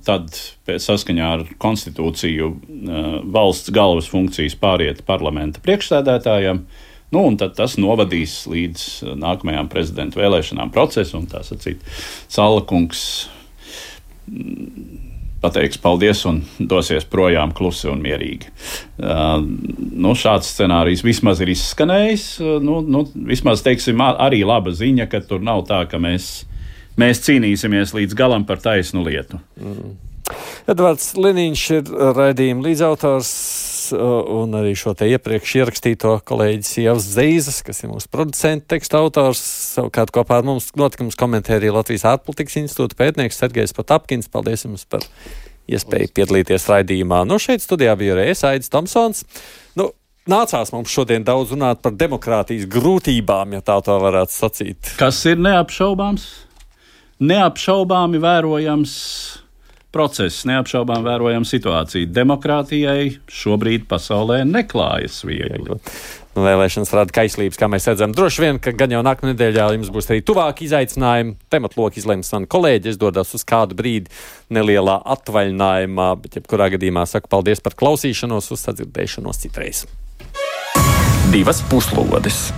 tad saskaņā ar konstitūciju valsts galvas funkcijas pāriet parlamenta priekšsēdētājam, un tad tas novadīs līdz nākamajām prezidenta vēlēšanām procesu, un tā sacīt, Salla kungs pateiks paldies un dosies projām klusi un mierīgi. Šāds scenārijs vismaz ir izskanējis. Vismaz, teiksim, arī laba ziņa, ka tur nav tā, ka mēs cīnīsimies līdz galam par taisnu lietu. Edvards Liniņš ir raidījuma līdzautors un arī šo te iepriekš ierakstīto kolēģis Ievas Zeizes, kas ir mūsu producenta teksta autors. Savukārt kopā ar mums notikums komentē arī Latvijas ārpolitikas institūta pētnieks Sergejs Potapkins. Paldies jums par iespēju piedalīties raidījumā. Šeit studijā bija arī Aidis Tomsons. Nācās mums šodien daudz runāt par demokrātijas grūtībām, ja tā varētu sacīt. Kas ir neapšaubāms? Neapšaubāmi vērojams process, neapšaubām vērojama situācija. Demokrātijai šobrīd pasaulē neklājas viegli. Vēlēšanas rada kaislības, kā mēs redzam. Droši vien, ka gan jau nākamā nedēļā jums būs arī tuvāki izaicinājumi. Tematloku izlems man kolēģi. Es dodos uz kādu brīdi nelielā atvaļinājumā, bet jebkurā gadījumā saku paldies par klausīšanos, uz sadzirdēšanos citreiz. 2 puslodes.